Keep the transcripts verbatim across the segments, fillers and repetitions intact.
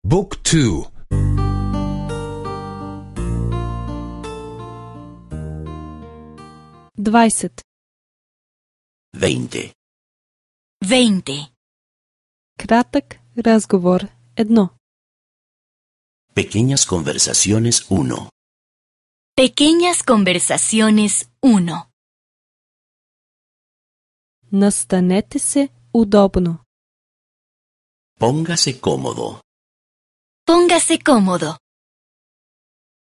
Book two. двайсет. Veinte. Veinte. Кратък разговор едно. Pequeñas conversaciones uno. Pequeñas conversaciones uno. Настанете се удобно. Póngase cómodo. Póngase cómodo.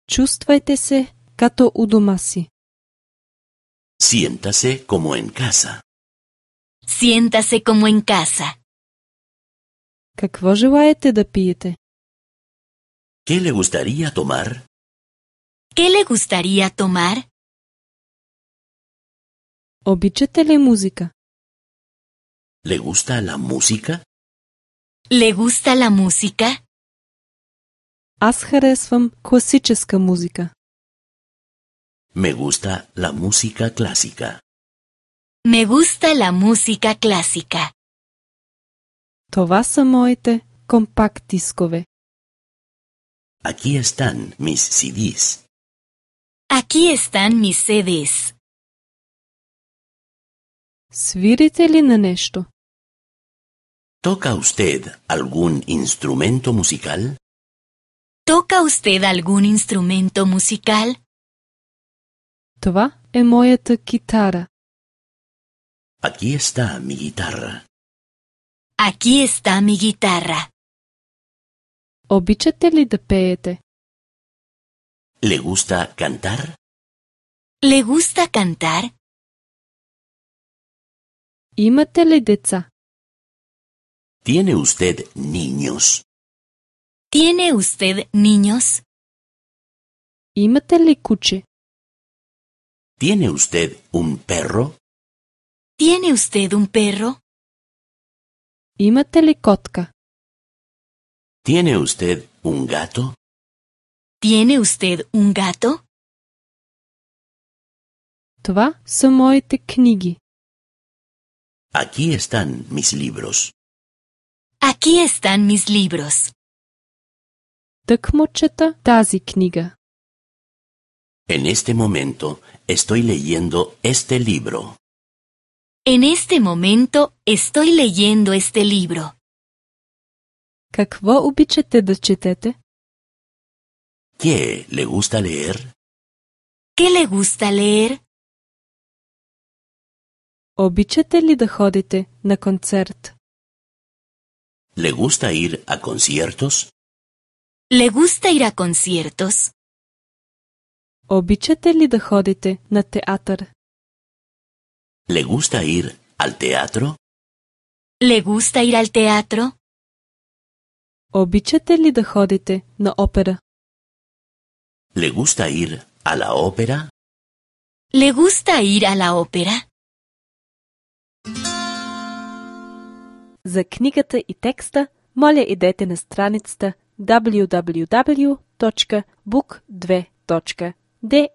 Чувствайте се като у дома си. Siéntase como en casa. Siéntase como en casa. Какво желаете да пиете? ¿Qué le gustaría tomar? ¿Qué le gustaría tomar? Обичате ли музика? ¿Le gusta la música? ¿Le gusta la música? Аз харесвам класическа музика. Me gusta la música clásica. Me gusta la música clásica. Това са моите компакт дискове. Aquí están mis C Ds. Aquí están mis C Ds. Свирите ли на нещо? ¿Toca usted algún instrumento musical? ¿Toca usted algún instrumento musical? Това е моята китара. Aquí está mi guitarra. Aquí está mi guitarra. Обичате ли да пеете? ¿Le gusta cantar? ¿Le gusta cantar? Имате ли деца? ¿Tiene usted niños? ¿Tiene usted niños? Имате ли куче? ¿Tiene usted un perro? ¿Tiene usted un perro? Имате ли котка? ¿Tiene usted un gato? ¿Tiene usted un gato? Това са моите книги. Aquí están mis libros. Aquí están mis libros. Тъкмо чета тази книга. En este momento estoy leyendo este libro. En este momento estoy leyendo este libro. Какво обичате да четете? ¿Qué le gusta leer? ¿Qué le gusta leer? Обичате ли да ходите на концерт? ¿Le gusta ir a conciertos? ¿Le gusta ir a conciertos? Обичате ли да ходите на театър? ¿Le gusta ir al teatro? ¿Le gusta ir al teatro? Обичате ли да ходите на опера? ¿Le gusta ir a la ópera? ¿Le gusta ir a la ópera? За книгата и текста, моля идете на страницата даблю даблю даблю точка бук две точка де